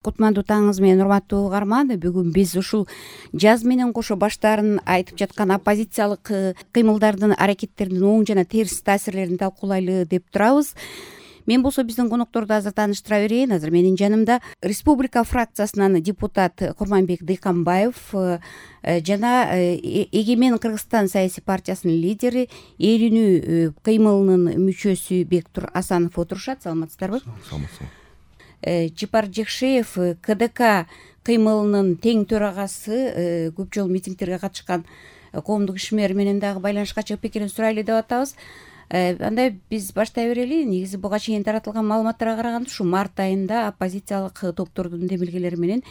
Кутмандуу таңыңыз менен, урматтуу угарман. Бүгүн биз ушул жаз менен кошо баштарын айтып жаткан оппозициялык кыймылдардын, аракеттердин оң жана терс таасирлерин талкуулайлы деп турабыз. Мен болсо биздин конокторду азыр тааныштыра берейин. Азыр менин жанымда республика фракциясынан депутат Курманбек Дыйканбаев жана Эгемен Кыргызстан саясий партиясынын лидери, Эл үнүү кыймылынын мүчөсү Бектур Асанов отурушат. Саламатсыздарбы? Саламатсызбы. Жипар Жекшеев, КДК кыймылынын тең төрагасы, көп жолу митингтерге катышкан коомдук ишмер менен дагы байланышка чыгып пикирин сурайлы деп атабыз. Андай биз баштай берели. Негизи буга чейин таратылган маалыматтарга караганда ушу март айында оппозициялык топтордун демилгелери менен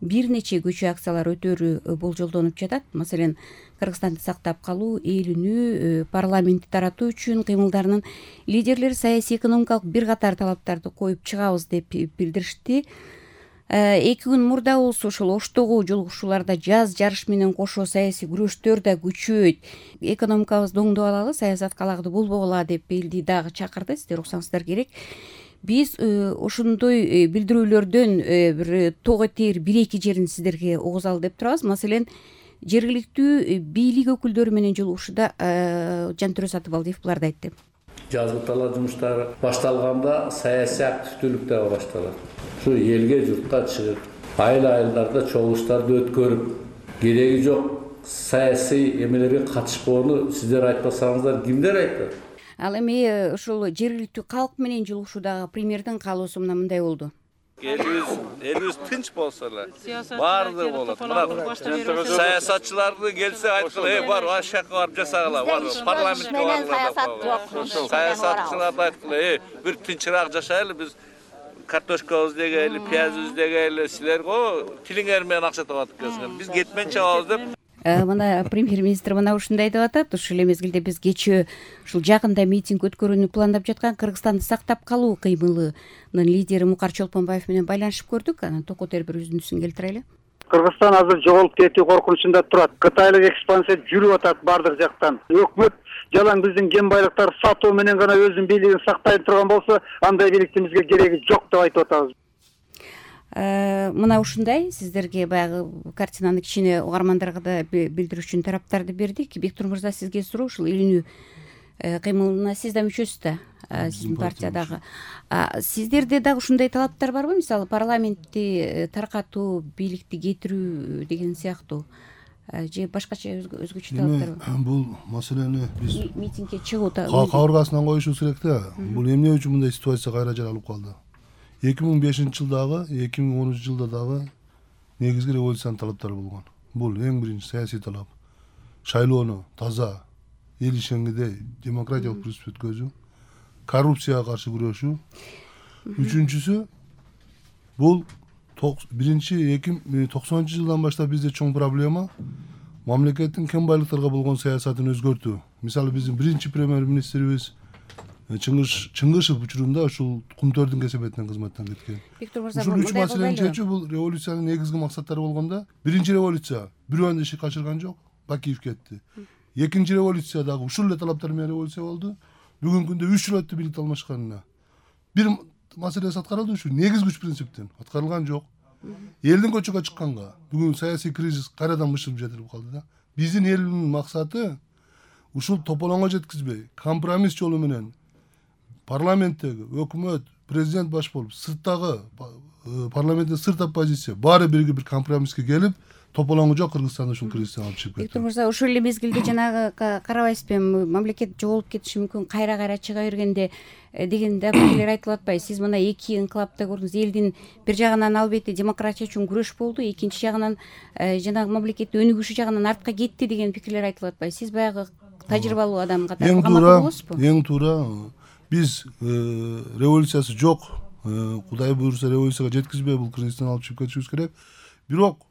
бир нече көчү акциялар өтөөрү болжолдонуп жатат. Маселен, Кыргызстанды сактап калуу, Эл үнүү, парламентти таратуу үчүн кыймылдарынын лидерлери саясий экономикалык бир катар талаптарды коюп чыгабыз деп билдиришти. 2 күн мурда болсо ошол Оштогу жолугушууларда жаз жарыш менен кошо саясий күрөштөр да күчөйт, экономикабызды оңдоп алалы, саясат калагды болбогула деп элди дагы чакырды. Сиздер уксаңыздар керек. Биз ошондой билдирүүлөрдөн бир тоо этер 1-2 жерин сиздерге угузалы деп турабыз. Маселен, жергиликтүү бийлик өкүлдөрү менен жолугушууда Жантөрө Сатыбалдиев буларды айтты. Жазгы талаа жумуштары башталганда саясий активдүүлүк дагы башталат. Ушу элге, журтка чыгып, айыл-айылдарда чогулуштарды өткөрүп, кереги жок саясий эмелерге катышпоону сиздер айтпасаңыздар кимдер айтат? Ал эми ушул жергиликтүү калк менен жолугушуудагы премьердин каалоосу мындай болду. Элибиз тынч болсо эле баардыгы болот. Мына саясатчыларды келсе айткыла, бар ашакка барып жасагыла, бар парламентке барып. Саясатчыларды айткыла, бир тынчыраак жашайлы, биз картошкабызды эгели, пиязыбызды эгели, силер го тилиңер менен акча табат экенсиңер. Биз кетмен чабабыз деп. Мына премьер-министр мына ушундай деп атат. Ушул эле мезгилде биз кечээ ушул жакында митинг өткөрүүнү пландап жаткан Кыргызстанды сактап калуу кыймылынын лидери Мукар Чолпонбаев менен байланышып көрдүк. Анан токотер бир үзүндүсүн келтирели. Кыргызстан азыр жоголуп кетүү коркунучунда турат. Кытайлык экспансия жүрүп атат бардык жактан. Өкмөт жалаң биздин кен байлыктарды сатуу менен гана өзүнүн бийлигин сактай турган болсо, андай бийликтин бизге кереги жок деп айтып атабыз. Мына ушундай сиздерге баягы картинаны кичине угармандарга да билдирүү үчүн тараптарды бердик. Бектур мырза, сизге суроо. Ушул Эл үнүү кыймылына сиз да мүчөсүз да, сиздин партиядагы. Сиздерде дагы ушундай талаптар барбы? Мисалы, парламентти таркатуу, бийликти кетирүү деген сыяктуу же башкача өзгөчө талаптар бар? Бул маселени биз митингге чыгуу кабыргасынан коюшубуз керек да. Бул эмне үчүн мындай ситуация кайра жаралып калды? 2005-жылдагы, 2010-жылда дагы негизги революциянын талаптары болгон. Бул эң биринчи саясий талап. Шайлоону таза, эл ишенгидей демократиялык принцип өткөзүү, коррупцияга каршы күрөшүү. Үчүнчүсү бул биринчи 90-жылдан баштап бизде чоң проблема мамлекеттин кен байлыктарга болгон саясатын өзгөртүү. Мисалы, биздин биринчи премьер-министрибиз Чыңгышев учурунда ушул кумтөрдүн кесепетинен кызматтан кеткен. Ушул үч маселени чечүү бул революциянын негизги максаттары болгондо, биринчи революция бирөөнү иши качырган жок, Бакиев кетти. Экинчи революция дагы ушул эле талаптар менен революция болду. Бүгүнкү күндө 3 жыл өттү бийликти алмашканына. Бир маселеси аткарылды, ушу негизги күч принциптен аткарылган жок. Элдин көчөгө чыкканга бүгүн саясий кризис кайрадан бышырып жетирип калды да. Биздин элдин максаты ушул тополоңго жеткизбей, компромисс жолу менен парламенттеги өкмөт, президент баш болуп, сырттагы парламенттин сырт оппозиция баары бирге бир компромисске келип, тополоңу жок Кыргызстанды ушул кризистен алып чыгып кетти. Бектур мырза, ошол эле мезгилде жанагы карабайсызбы, мамлекет жоголуп кетиши мүмкүн, кайра чыга бергенде деген да пикирлер айтылып атпайбы? Сиз мына 2 инкылапты көрдүңүз. Элдин бир жагынан албетте демократия үчүн күрөш болду, экинчи жагынан жанагы мамлекет өнүгүшү жагынан артка кетти деген пикирлер айтылып атпайбы? Сиз баягы тажрыйбалуу адам катары макул болосузбу? Эң туура. Биз революциясы жок, Кудай буйруса революцияга жеткизбей бул кризистен алып чыгып кетишибиз керек. Бирок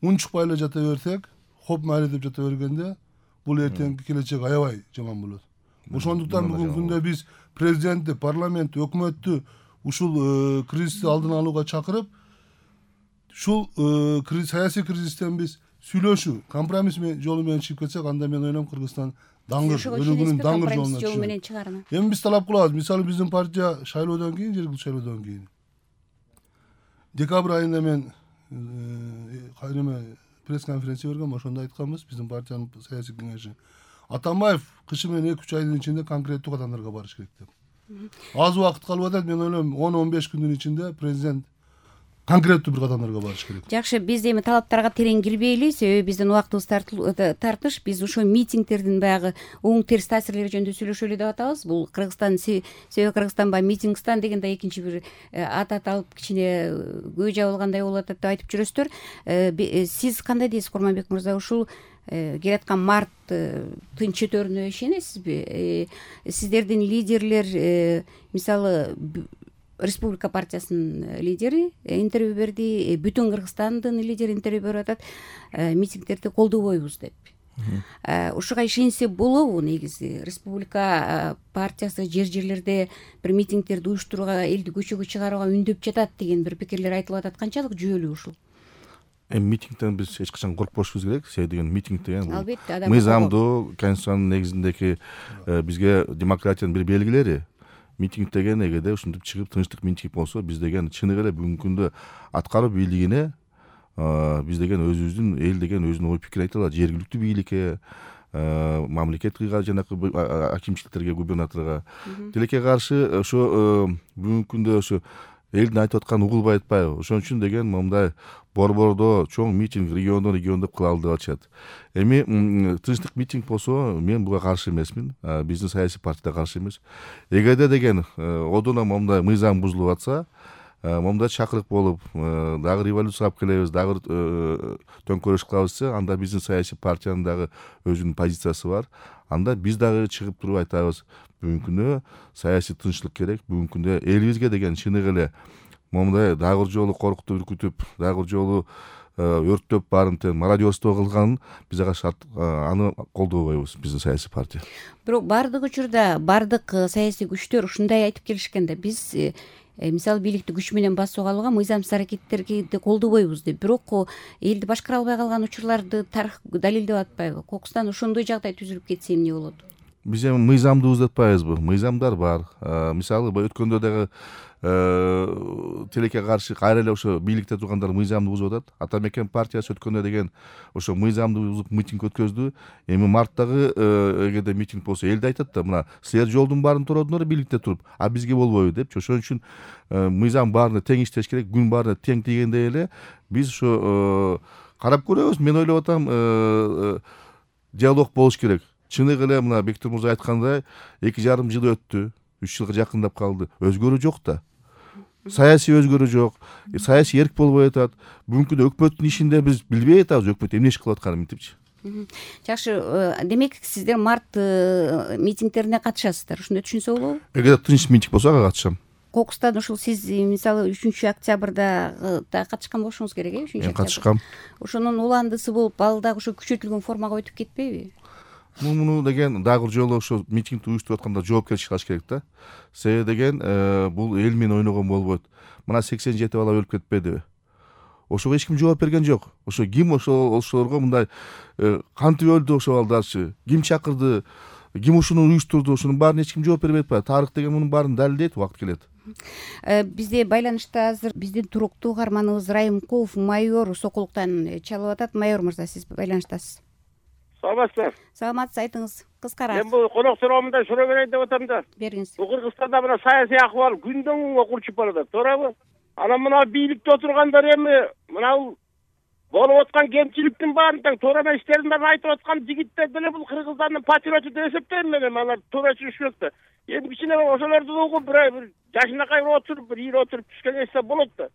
унчукпай эле жата берсек, хоп майли деп жата бергенде, бул эртеңки келечек аябай жаман болот. Ошондуктан бүгүнкү күндө биз президентти, парламентти, өкмөттү ушул кризисти алдын алууга чакырып, ушул саясий кризистен биз сүйлөшүү, компромисс жолу менен чыгып кетсек, анда мен ойлойм Кыргызстан даңгыр, өнүгүүнүн даңгыр жолуна чыгат. Эми биз талап кылабыз. Мисалы, биздин партия шайлоодон кийин, жергиликтүү шайлоодон кийин Декабрь айында мен кайрыма пресс-конференция бергем, ошондо айтканбыз биздин партиянын саясий кеңеши. Атамбаев кышы менен 2-3 айдын ичинде конкреттүү кадамдарга барыш керек деп. Аз убакыт калып атат, мен ойлойм 10-15 күндүн ичинде президент конкреттүү бир кадамдарга барыш керек. Жакшы, биз эми талаптарга терең кирбейли, себеби биздин убактыбыз тартыш. Биз ошо митингдердин баягы оң терс таасирлери жөнүндө сүйлөшөлү деп атабыз. Бул Кыргызстан, себеби Кыргызстан баягы митингстан деген да экинчи бир атат алып кичине көй жабылгандай болуп атат деп айтып жүрөсүздөр. Сиз кандай дейсиз, Курманбек мырза? Ушул келаткан март тынч өтөрүнө ишенесизби? Сиздердин лидерлер, мисалы Республика партиясынын лидери интервью берди, бүтүн Кыргызстандын лидери интервью берип атат, митингдерди колдобойбуз деп. Ушуга ишенсе болобу? Негизи Республика партиясы жерлерде бир митингдерди уюштурууга, элди көчөгө чыгарууга үндөп жатат деген бир пикирлер айтылып атат. Канчалык жүйөлүү ушул? Митингден биз эч качан коркпошубуз керек. Себеби деген митинг деген Албетте, мыйзамдуу, конституциянын негизиндеги бизге демократиянын бир белгилери. Митинг деген эгерде ушинтип чыгып тынчтык митинг болсо, биз деген чыныгы эле бүгүнкү күндө аткаруу бийлигине биз деген өзүбүздүн эл деген өзүнүн ой пикирин айта алат. Жергиликтүү бийликке, мамлекеттик жанакы акимчиликтерге, губернаторго тилекке каршы ошо бүгүнкү күндө ошо элдин айтып атканын угулбай атпайбы. Ошон үчүн деген мындай борбордо чоң митинг региондон кылалы деп атышат. Эми тынчтык митинг болсо, мен буга каршы эмесмин. Биздин саясий партия да каршы эмес. Эгерде деген одоно момундай мыйзам бузулуп атса, момундай чакырык болуп, дагы революция алып келебиз, дагы төңкөрүш кылабыз десе, анда биздин саясий партиянын дагы өзүнүн позициясы бар. Анда биз дагы чыгып туруп айтабыз, бүгүнкү күндө саясий тынчтык керек. Бүгүнкү күндө элибизге деген чыныгы эле момундай дагы бир жолу коркутуп, үркүтүп, дагы бир жолу өрттөп баарын мародерство кылганын биз аны колдобойбуз, биздин саясий партия. Бирок бардык учурда бардык саясий күчтөр ушундай айтып келишкен да, биз мисалы бийликти күч менен басууга алууга мыйзамсыз аракеттерди колдобойбуз деп. Бирок элди башкара албай калган учурларды тарых далилдеп атпайбы? Кокустан ошондой жагдай түзүлүп кетсе эмне болот? Биз эми мыйзамды узатпайбызбы? Мыйзамдар бар. Мисалы өткөндө дагы тилекке каршы кайра эле ошо бийликте тургандар мыйзамды бузуп атат. Ата мекен партиясы өткөндө деген ошо мыйзамды бузуп митинг өткөздү. Эми марттагы эгерде митинг болсо, элди айтат да, мына силер жолдун баарын турдуңар бийликте туруп, а бизге болбойбу депчи. Ошон үчүн мыйзам баарына тең иштеш керек, күн баарына тең тийгендей эле биз ошо карап көрөбүз. Мен ойлоп атам, диалог болуш керек. Чыныгы эле мына Бектур мырза айткандай 2,5 жыл өттү, 3 жылга жакындап калды. Өзгөрүү жок да. Саясий өзгөрүү жок. Саясий эрк болбой атат. Бүгүнкү күндө өкмөттүн ишинде биз билбей атабыз, өкмөт эмне иш кылып атканын мынтипчи. Жакшы, демек сиздер март митингдерине катышасыздар. Ушундай түшүнсө болобу? Эгер тынч митинг болсо ага катышам. Кокустан ушул сиз мисалы 3-октябрда да катышкан болушуңуз керек, 3-октябрда. Мен катышкам. Ошонун уландысы болуп, ал дагы ошо күчөтүлгөн формага өтүп кетпейби? Муну деген дагы бир жолу ошо митингди уюштуруп атканда жоопкерчилик алыш керек да. Себеби деген бул эл менен ойногон болбойт. Мына 87 бала өлүп кетпедиби? Ошого эч ким жооп берген жок. Ошо ким ошолорго мындай кантип өлдү ошо балдарчы? Ким чакырды? Ким ушуну уюштурду? Ошонун баарын эч ким жооп бербей атпайбы? Тарых деген мунун баарын далилдейт, убакыт келет. Бизде байланышта азыр биздин туруктуу каарманыбыз Райымкулов майор Сокулуктан чалып атат. Майор мырза, сиз байланыштасыз. Саламатсызбы? Саламатсыз, айтыңыз, кыскара. Мен бул конок суроомунда суроо берейин деп атам да. Бериңиз. Бул Кыргызстанда мына саясий акыбал күндөн күнгө курчуп баратат, туурабы? Анан мына бийликте отургандар эми мына болуп аткан кемчиликтин баарын тең туура эместерин айтып аткан жигиттер деле бул Кыргызстандын патриоту деп эсептейм мен. Алар туура түшүнүшмөк да. Эми кичине ошолорду угуп бир жашынакай отуруп, бир ийип отуруп түшкөн эсе болот да.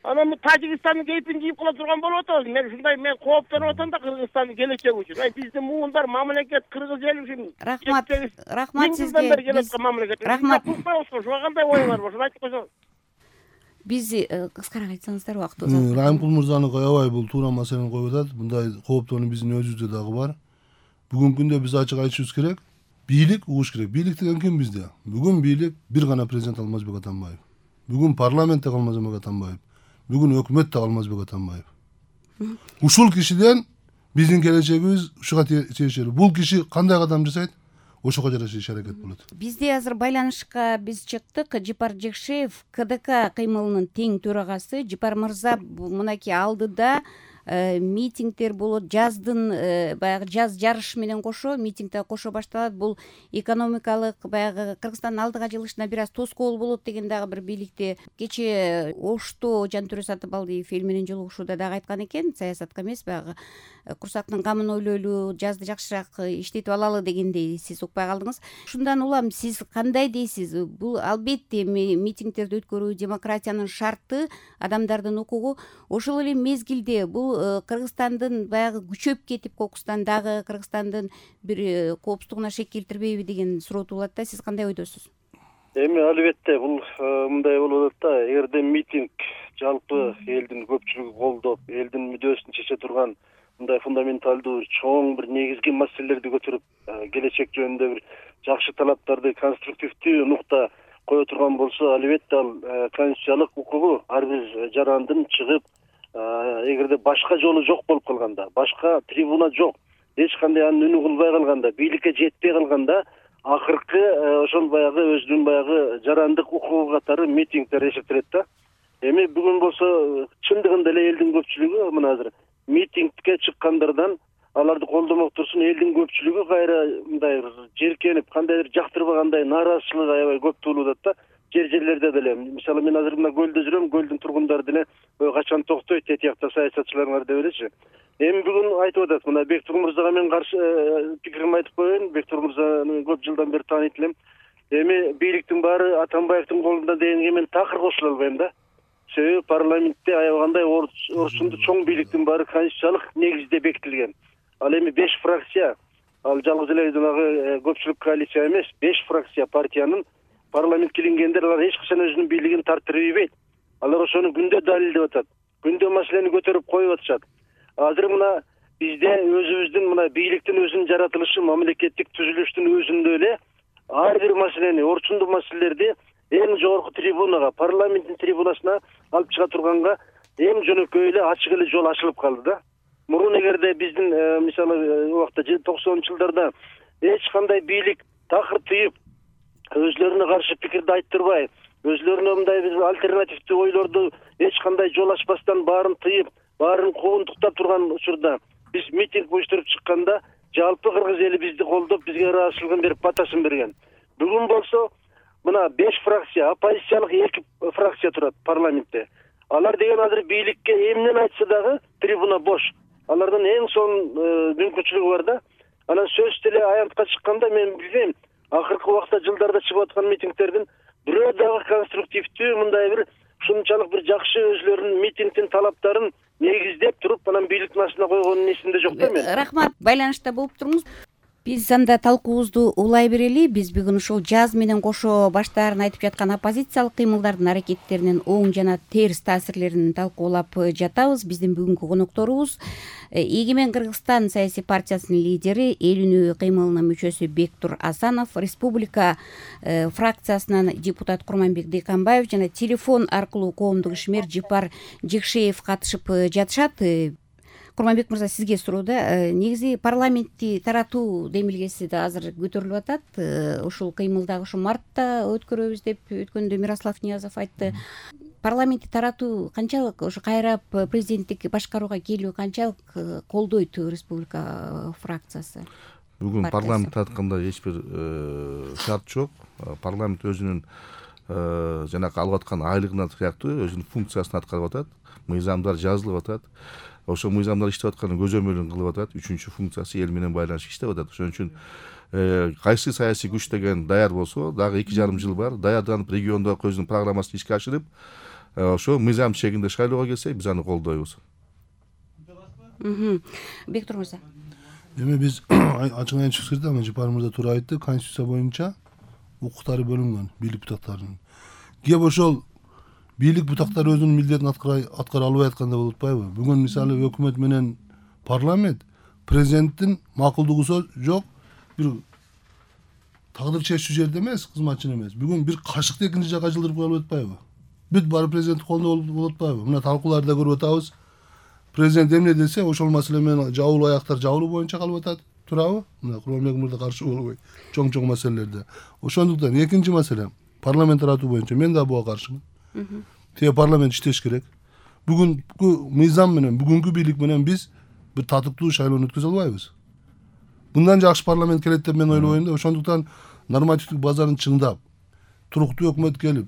Анан Тажикстандын кейпин кийип кала турган болуп атабыз. Мен ушундай кооптонуп атам да Кыргызстандын келечеги үчүн. Биздин муундар мамлекет Кыргыз эл үчүн. Рахмат сизге. Рахмат. Ушуга кандай оюңар бар? Ошону айтып койсоңуз. Биз кыскараак айтсаңыздар, убакыт узат. Райымкул мырзаны аябай бул туура маселени коюп атат. Мындай кооптонуу биздин өзүбүздө дагы бар. Бүгүнкү күндө биз ачык айтышыбыз керек. Бийлик угуш керек. Бийлик деген ким бизде? Бүгүн бийлик бир гана президент Алмазбек Атамбаев. Бүгүн парламентте Алмазбек Атамбаев. Бүгүн өкмөттө Алмазбек Атамбаев. Ушул кишиден биздин келечегибиз ушуга тиешелүү. Бул киши кандай кадам жасайт? ошого жараша иш аракет болот. Бизде азыр байланышка биз чыктык. Жипар Жекшеев, КДК кыймылынын тең төрагасы. Жипар мырза, мынакей алдыда митингдер болот, жаздын баягы жаз жарышы менен кошо митингде кошо башталат. Бул экономикалык баягы Кыргызстандын алдыга жылышына бир аз тоскоол болот деген дагы бир бийликте кечээ Ошто Жантөре Сатыбалдиев эл менен жолугушууда дагы айткан экен, саясатка эмес, баягы курсактын камын ойлойлу, жазды жакшыраак иштетип алалы дегендей. Сиз укпай калдыңыз. Ушундан улам сиз кандай дейсиз? Бул албетте митингдерди өткөрүү демократиянын шарты, адамдардын укугу. Ошол эле мезгилде бул Кыргызстандын баягы күчөп кетип, кокустан дагы Кыргызстандын бир коопсуздугуна шек келтирбейби деген суроо туулат да. Сиз кандай ойдосуз? Эми албетте бул мындай болуп атат да. Эгерде митинг жалпы элдин көпчүлүгү колдоп, элдин мүдөөсүн чече турган мындай фундаменталдуу чоң бир негизги маселелерди көтөрүп, келечек жөнүндө бир жакшы талаптарды конструктивдүү нукта кое турган болсо, албетте ал конституциялык укугу ар бир жарандын чыгып, эгерде башка жолу жок болуп калганда, башка трибуна жок, эч кандай анын үнү кылбай калганда, бийликке жетпей калганда, акыркы ошол баягы өзүнүн баягы жарандык укугу катары митингдер эсептелет да. Эми бүгүн болсо чындыгында эле элдин көпчүлүгү мына азыр митингке чыккандардан аларды колдомок турсун, элдин көпчүлүгү кайра мындай жеркенип, кандайдыр жактырбагандай нааразычылык аябай көп туулуп атат да. Жерлерде деле, мисалы мен азыр мына көлдө жүрөм, көлдүн тургундары деле качан токтойт, тетиякта саясатчыларыңар деп элечи. Эми бүгүн айтып атат, мына Бектур мырзага мен каршы пикиримди айтып коеюн. Бектур мырзаны көп жылдан бери тааныйт элем. Эми бийликтин баары Атамбаевдин колунда дегенге мен такыр кошула албайм да. Себеби парламентте аябагандай орчунду чоң бийликтин баары конституциялык негизде бекитилген. Ал эми 5 фракция, ал жалгыз эле жанагы көпчүлүк коалиция эмес, 5 фракция партиянын парламентке киргендер алар эч качан өзүнүн бийлигин тартып ийбейт. Алар ошону күндө далилдеп атат. Күндө маселени көтөрүп коюп атышат. Азыр мына бизде өзүбүздүн мына бийликтин өзүнүн жаратылышы, мамлекеттик түзүлүштүн өзүндө эле ар бир маселени, орчундуу маселелерди эң жогорку трибунага, парламенттин трибунасына алып чыга турганга эң жөнөкөй эле ачык эле жол ачылып калды да. Мурун эгерде биздин мисалы убакта 90-ж жылдарда эч кандай бийлик такыр тыйып, өзлөрүнө каршы пикирди айттырбай, өзлөрүнө мындай бир альтернативдүү ойлорду эч кандай жол ачпастан баарын тыйып, баарын куугунтуктап турган учурда биз митинг уюштуруп чыкканда жалпы кыргыз эли бизди колдоп, бизге ыраазычылыгын берип, батасын берген. Бүгүн болсо мына 5 фракция, оппозициялык 2 фракция турат парламентте. Алар деген азыр бийликке эмнени айтса дагы трибуна бош. Алардын эң сонун мүмкүнчүлүгү бар да. Анан сөз деле аянтка чыкканда мен билбейм, акыркы убакта жылдарда чыгып аткан митингдердин бирөө дагы конструктивдүү мындай бир ушунчалык бир жакшы өзлөрүнүн митингдин талаптарын негиздеп туруп, анан бийликтин астына койгонун эсимде жок да мен. Рахмат, байланышта болуп туруңуз. Биз анда талкуубузду улай берели. Биз бүгүн ушул жаз менен кошо баштаарын айтып жаткан оппозициялык кыймылдардын аракеттеринин оң жана терс таасирлерин талкуулап жатабыз. Биздин бүгүнкү конокторубуз Эгемен Кыргызстан саясий партиясынын лидери, эл үнү кыймылынын мүчөсү Бектур Асанов, республика фракциясынан депутат Курманбек Дыйканбаев жана телефон аркылуу коомдук ишмер Жипар Жекшеев катышып жатышат. Курманбек мырза, сизге суроо да. Негизи парламентти таратуу демилгеси да азыр көтөрүлүп атат. Ушул кыймылдагы ушу мартта өткөрөбүз деп өткөндө Мирослав Ниязов айтты. Парламентти таратуу канчалык ушу кайра президенттик башкарууга келүү канчалык колдойт республика фракциясы? Бүгүн парламент таратканда эч бир шарт жок. Парламент өзүнүн жанагы алып аткан айлыгына сыяктуу өзүнүн функциясын аткарып атат. Мыйзамдар жазылып атат. Ошол мыйзамдар иштеп атканын көзөмөлүн кылып атат. Үчүнчү функциясы эл менен байланышып иштеп атат. Ошон үчүн кайсы саясий күч деген даяр болсо, дагы 2,5 жыл бар, даярданып региондо өзүнүн программасын ишке ашырып, ошо мыйзам чегинде шайлоого келсе, биз аны колдойбуз. Бектур мырза. Эми биз ачык айтып чыксырда, Жипар мырза туура айтты, конституция боюнча укуктары бөлүнгөн бийлик бутактарынын. Кеп ошол бийлик бутактары өзүнүн милдетин аткара албай атканда болуп атпайбы? Бүгүн мисалы өкмөт менен парламент президенттин макулдугу жок бир тагдыр чечүү жерде эмес, кызматчын эмес. Бүгүн бир кашыкты экинчи жакка жылдырып коюлуп атпайбы? Бүт баары президенттин колунда болуп атпайбы? Мына талкууларда көрүп атабыз. Президент эмне десе, ошол маселе менен жабылуу аяктар жабылуу боюнча калып атат. туурабы? Мына Курманбек мырза каршы болбой чоң маселелерде. Ошондуктан экинчи маселе парламент таратуу боюнча мен да буга каршымын. Тээ парламент иштеш керек. Бүгүнкү мыйзам менен, бүгүнкү бийлик менен биз бир татыктуу шайлоону өткөзө албайбыз. Мындан жакшы парламент келет деп мен ойлобойм да. Ошондуктан нормативдик базаны чыңдап, туруктуу өкмөт келип,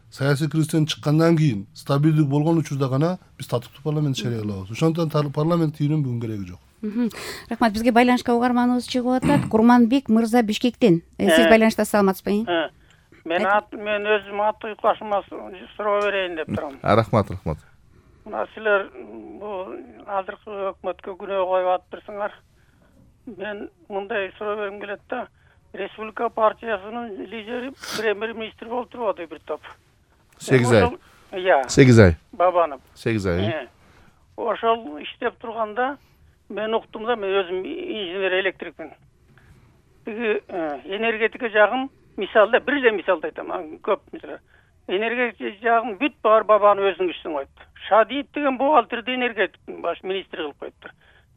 саясий кризистен чыккандан кийин стабилдик болгон учурда гана биз татыктуу парламент иштей алабыз. Ошондуктан парламент тийүүнүн бүгүн кереги жок. Рахмат. Бизге байланышка угарманыбыз чыгып атат. Курманбек мырза Бишкектен. Сиз байланышта саламатсызбы? Мен өзүм аты уйкашмас суроо берейин деп турам. Рахмат. Мына силер бул азыркы өкмөткө күнөө коюп атыптырсыңар. Мен мындай суроо бергим келет да. Республика партиясынын лидери премьер-министр болуп турбуду бир топ. 8 ай. 8 ай. Бабанов. 8 ай. Ошол иштеп турганда мен уктум да, мен өзүм инженер электрикмин. Тиги энергетика жагын мисалда бир эле мисалды айтам, көп мисал. Энергетика жагын бүт бар бабаны өзүнүн күчүнө койту. Шадиев деген бухгалтерди энергетика баш министр кылып коюптур.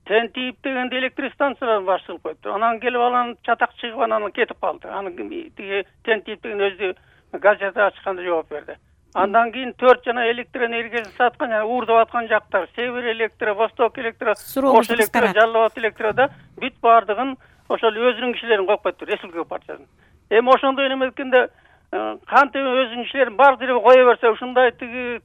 Тентиев деген электростанцияларын баш кылып коюптур. Анан келип анан чатак чыгып анан кетип калды. Анан тиги Тентиев деген өзү газета ачканда жооп берди. Андан кийин 4 жана электроэнергиясын саткан жана уурдап аткан жактар, Север электро, Восток электро, Ош электро, Жалал Абад электрода бүт бардыгын ошол өзүнүн кишилерин коюп коюптур, Республика партиясын. Эми ошондой неме эткенде кантип өзүнүн кишилерин бар жерге кое берсе, ушундай тиги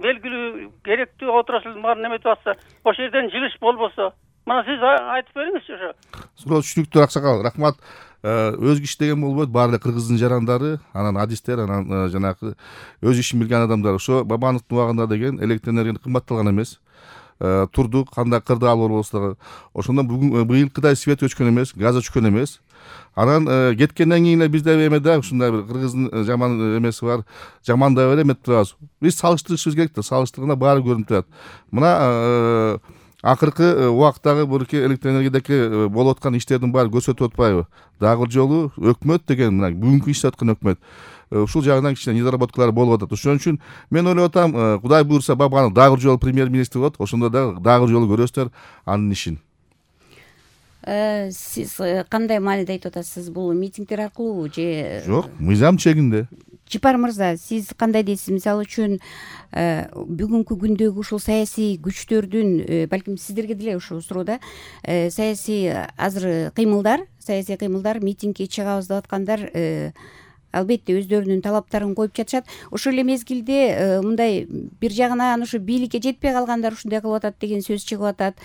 белгилүү керектүү отраслдын баарын неметип атса, ошол жерден жылыш болбосо, мына сиз айтып бериңизчи ошо. Суроо түшүнүктүү аксакал. Рахмат. Өз иш деген болбойт, баары кыргыздын жарандары, анан адистер, анан жанагы өз ишин билген адамдар. Ошо Бабановдун убагында деген электроэнергия кымбатталган эмес. Турдук, кандай кырды алып болсо, ошондон бүгүн быйылкыдай свет өчкөн эмес, газ өчкөн эмес. Анан кеткенден кийин эле бизде эме да ушундай бир кыргыздын жаман эмеси бар. Жамандай эле эметип турабыз. Биз салыштырышыбыз керек да, салыштырганда баары көрүнүп турат. Мына акыркы убактагы бурки электроэнергиядагы болуп аткан иштердин баары көрсөтүп атпайбы? Дагы жолу өкмөт деген мына бүгүнкү иштеп аткан өкмөт ушул жагынан кичине недоработкалар болуп атат. Ошон үчүн мен ойлоп атам, Кудай буйрса Бабанов дагы жолу премьер-министр болот, ошондо дагы жолу көрөсүздөр анын ишин. Сиз кандай мааниде айтып атасыз? Бул митингдер аркылуу же жок, мыйзам чегинде? Жипар мырза, сиз кандай дейсиз? Мисалы үчүн бүгүнкү күндөгү ушул саясий күчтөрдүн, балким сиздерге деле ушул суроо саясий азыр саясий кыймылдар, митингге чыгабыз деп аткандар албетте өздөрүнүн талаптарын коюп жатышат. Ошол эле мезгилде мындай бир жагынан ушу бийликке жетпей калгандар ушундай кылып атат деген сөз чыгып атат.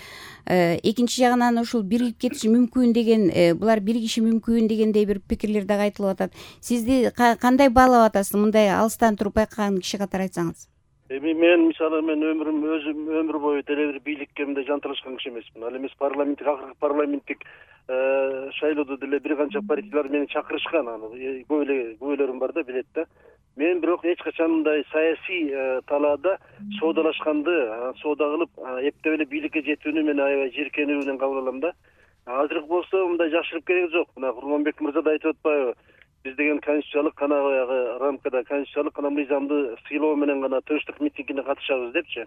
Экинчи жагынан ушул биригип кетиши мүмкүн деген, булар биригиши мүмкүн дегендей бир пикирлер дагы айтылып атат. Сизди кандай баалап атасыз, мындай алыстан туруп байкаган киши катары айтсаңыз? Эми мен мисалы өзүм өмүр бою деле бир бийликке мындай жанталашкан киши эмесмин. Ал эмес акыркы парламенттик шайлоодо деле бир канча партиялар мени чакырышкан, күбөлөрүм бар да, билет да. Мен бирок эч качан мындай саясий талаада соодалашканды, соода кылып эптеп эле бийликке жетүүнү мен аябай жийиркенүү менен кабыл алам да. Азыркы болсо мындай жакшылык кереги жок. Мына Курманбек мырза да айтып атпайбы? Биз деген конституциялык баягы рамкада конституциялык мыйзамды сыйлоо менен гана тынчтык митингине катышабыз депчи.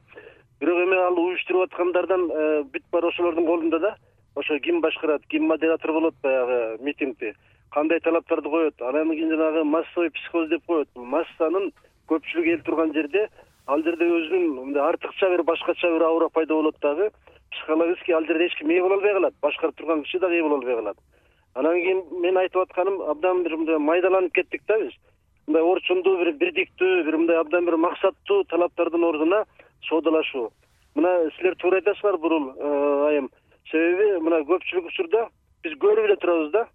Бирок эми ал уюштуруп аткандардан бүт бар ошолордун колунда да. Ошо ким башкарат, ким модератор болот баягы митингди, кандай талаптарды коет, анан кийин жанагы массовый психоз деп коет. Бул массанын көпчүлүгү эл турган жерде, ал жерде өзүнүн мындай артыкча бир башкача бир аура пайда болот дагы. Психологически ал жерде эч ким ээ боло албай калат, башкарып турган киши дагы ээ боло албай калат. Анан кийин мен айтып атканым, абдан бир мындай майдаланып кеттик да биз. Мындай орчундуу бир бирдиктүү, бир мындай абдан бир максаттуу талаптардын ордуна соодалашуу. Мына силер туура айтасыздар бурул айым. Себеби мына көпчүлүк учурда биз көрүп эле турабыз да.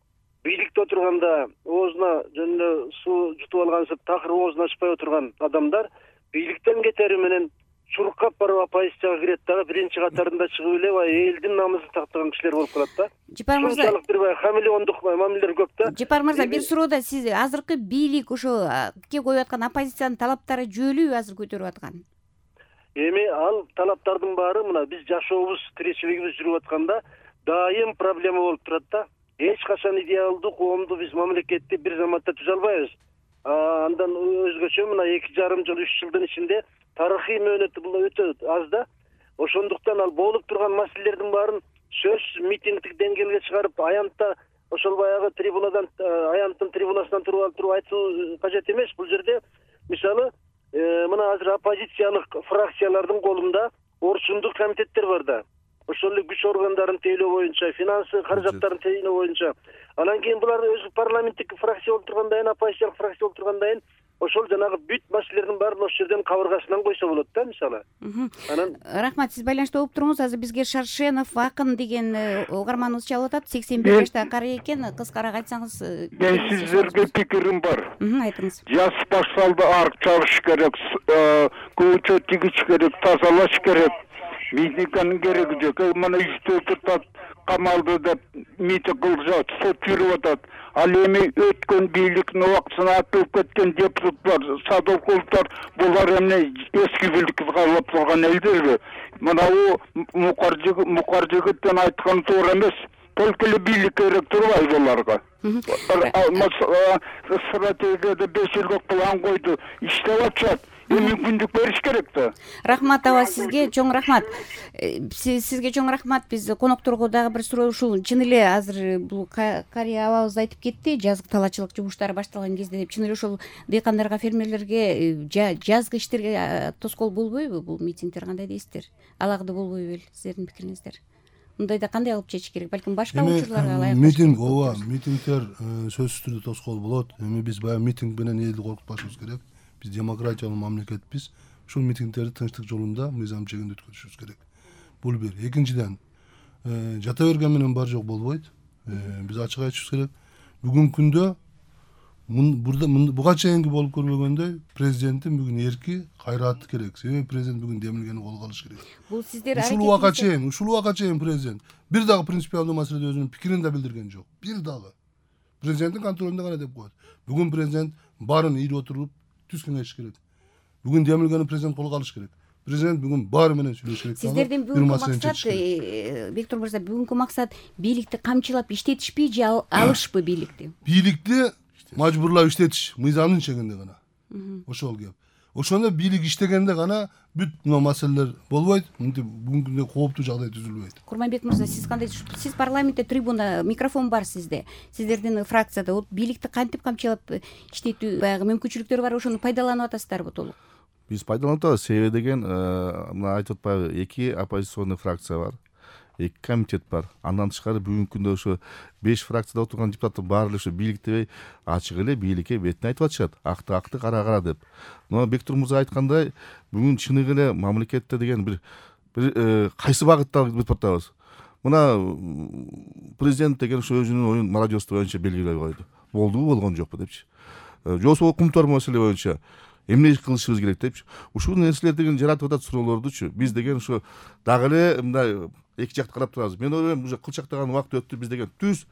Бийликте отурганда оозуна жөн суу жутуп алгансып, такыр оозун ачпай отурган адамдар бийликтен кетери менен чуркап барып оппозицияга кирет дагы биринчи катарында чыгып эле элдин намысын тактаган кишилер болуп калат да. Жипар мырза, ушунчалык бир хамелеондук мамилелер көп да. Жипар мырза, бир суроодо сиз азыркы бийлик ошо коюп аткан оппозициянын талаптары жөлүбү азыр көтөрүп аткан? Эми ал талаптардын баары мына биз жашообуз, тиричилигибиз жүрүп атканда дайым проблема болуп турат да. Эч качан идеалдуу коомду биз мамлекетти бир заматта түзө албайбыз. Андан өзгөчө мына 2,5 жыл, 3 жылдын ичинде тарыхый мөөнөт бул өтө аз да. Ошондуктан ал болуп турган маселелердин баарын сөз митингдик деңгээлге чыгарып аянтта ошол баягы трибунадан аянттын трибунасынан туруп айтуу кажет эмес. Бул жерде мисалы мына азыр оппозициялык фракциялардын колунда орчундук комитеттер бар да. Ошол эле күч органдарын тейлөө боюнча, финансы каражаттарын тейлөө боюнча. Анан кийин булар өзү парламенттик фракция болуп тургандан кийин, оппозициялык фракция болуп тургандан кийин ошол жанагы бүт маселелердин баарын ошол жерден кабыргасынан койсо болот да мисалы. Анан рахмат, сиз байланышта болуп туруңуз. Азыр бизге Шаршенов акын деген угарманыбыз чалып атат. 81 жаштагы кары экен. Кыскараак айтсаңыз. Мен сиздерге пикирим бар. Айтыңыз. Жаз башталды, арык чабыш керек, көчө тигиш керек, тазалаш керек. Митингдин кереги жок. Мына 3 депутат камалды деп митинг кылышат, сот жүрүп атат. Ал эми өткөн бийликтин убактысына атылып кеткен депутаттар, садовковтар, булар эмне эски бийликти каалап турган элдерби? Мына мукар жигиттен айткан туура эмес. Только эле бийлик керек турбайбы буларга? Стратегияда 5 жылдык план койду, иштеп атышат. Мүмкүндүк бериш керек да. Рахмат аба, сизге чоң рахмат. Сизге чоң рахмат. Биз конокторго дагы бир суроо, ушул чын эле азыр бул кария абабыз айтып кетти, жазгы талаачылык жумуштары башталган кезде деп. Чын эле ошол дыйкандарга, фермерлерге жазгы иштерге тоскоол болбойбу бул митингдер, кандай дейсиздер? Алагда болбойбу эле сиздердин пикириңиздер? Мындайда кандай алып чечиш керек? Балким башка учурларга ылайык. Митингдер сөзсүз түрдө тоскоол болот. Эми биз баягы митинг менен элди коркутпашыбыз керек. Биз демократиялык мамлекетпиз. Ушул митингдерди тынчтык жолунда, мыйзам чегинде өткөрүшүбүз керек. Бул бир. Экинчиден, жата берген менен бар жок болбойт. Биз ачык айтышыбыз керек. Бүгүнкү күндө буга чейинки болуп көрбөгөндөй президенттин бүгүн эрки, кайраты керек. Себеби президент бүгүн демилгени колго алыш керек. Бул сиздер ушул убакка чейин президент бир дагы принципиалдуу маселеде өзүнүн пикирин да билдирген жок. Бир дагы. Президенттин контролунда гана деп коет. Бүгүн президент баарын ийип отуруп түз кеңешиш керек. Бүгүн демилгени президент колго алыш керек. Президент бүгүн баары менен сүйлөшүш керек. Сиздердин бүгүнкү максат, Бектур мырза, бүгүнкү максат бийликти камчылап иштетишпи же алышпы бийликти? Бийликти мажбурлап иштетиш, мыйзамдын чегинде гана. Ошол кеп. Ошондо бийлик иштегенде гана бүт мына маселелер болбойт. Бүгүнкү күндө кооптуу жагдай түзүлбөйт. Курманбек мырза, сиз кандай? Сиз парламентте трибуна, микрофон бар сизде. Сиздердин фракцияда бийликти кантип камчылап иштетүү баягы мүмкүнчүлүктөр бар, ошону пайдаланып атасыздарбы толук? Биз пайдаланып атабыз. Себеби деген мына айтып атпайбы, 2 оппозиционный фракция бар. 2 комитет бар. Андан тышкары бүгүнкү күндө ошо 5 фракцияда отурган депутаттар баары эле ошо бийликти ачык эле бийликке бетине айтып атышат. Акты кара деп. Мына Бектур мырза айткандай, бүгүн чыныгы эле мамлекетте деген бир кайсы багытта бүтүп атабыз. Мына президент деген ошо өзүнүн оюн молодежь боюнча белгилей койду. Болдубу, болгон жокпу депчи. Же болбосо укмуктар маселе боюнча эмне кылышыбыз керек депчи. Ушул нерселер деген жаратып атат суроолордучу. Биз деген ошо дагы эле мындай эки жакты карап турабыз. Мен ойлойм, уже кылчактаган убакыт өттү. Биз деген түз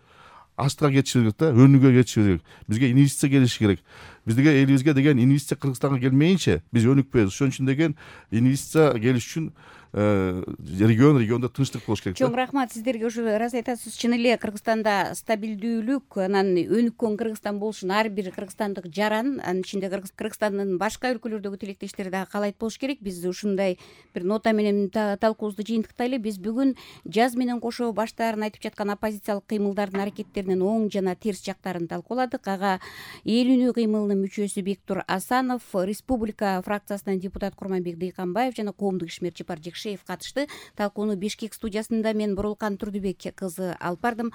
астыга кетишибиз керек да, өнүгүүгө кетишибиз керек. Бизге инвестиция келиши керек. Бизге элибизге деген инвестиция Кыргызстанга келмейинче биз өнүкпөйбүз. Ошон үчүн деген инвестиция келиш үчүн региондо тынчтык болуш керек. Чоң рахмат сиздерге. Ушу раз айтасыз, чын эле Кыргызстанда стабилдүүлүк, анан өнүккөн Кыргызстан болушун ар бир кыргызстандык жаран, анын ичинде Кыргызстандын башка өлкөлөрдөгү тилектештери дагы каалайт болуш керек. Биз ушундай бир нота менен талкуубузду жыйынтыктайлы. Биз бүгүн жаз менен кошо баштаарын айтып жаткан оппозициялык кыймылдардын аракеттеринин оң жана терс жактарын талкууладык. Ага эл үнү кыймылынын мүчөсү Бектур Асанов, Республика фракциясынан депутат Курманбек Дыйканбаев жана коомдук ишмер Жапар Жекшеев катышты. Талкууну Бишкек студиясында мен Бурулкан Турдубек кызы алып бардым.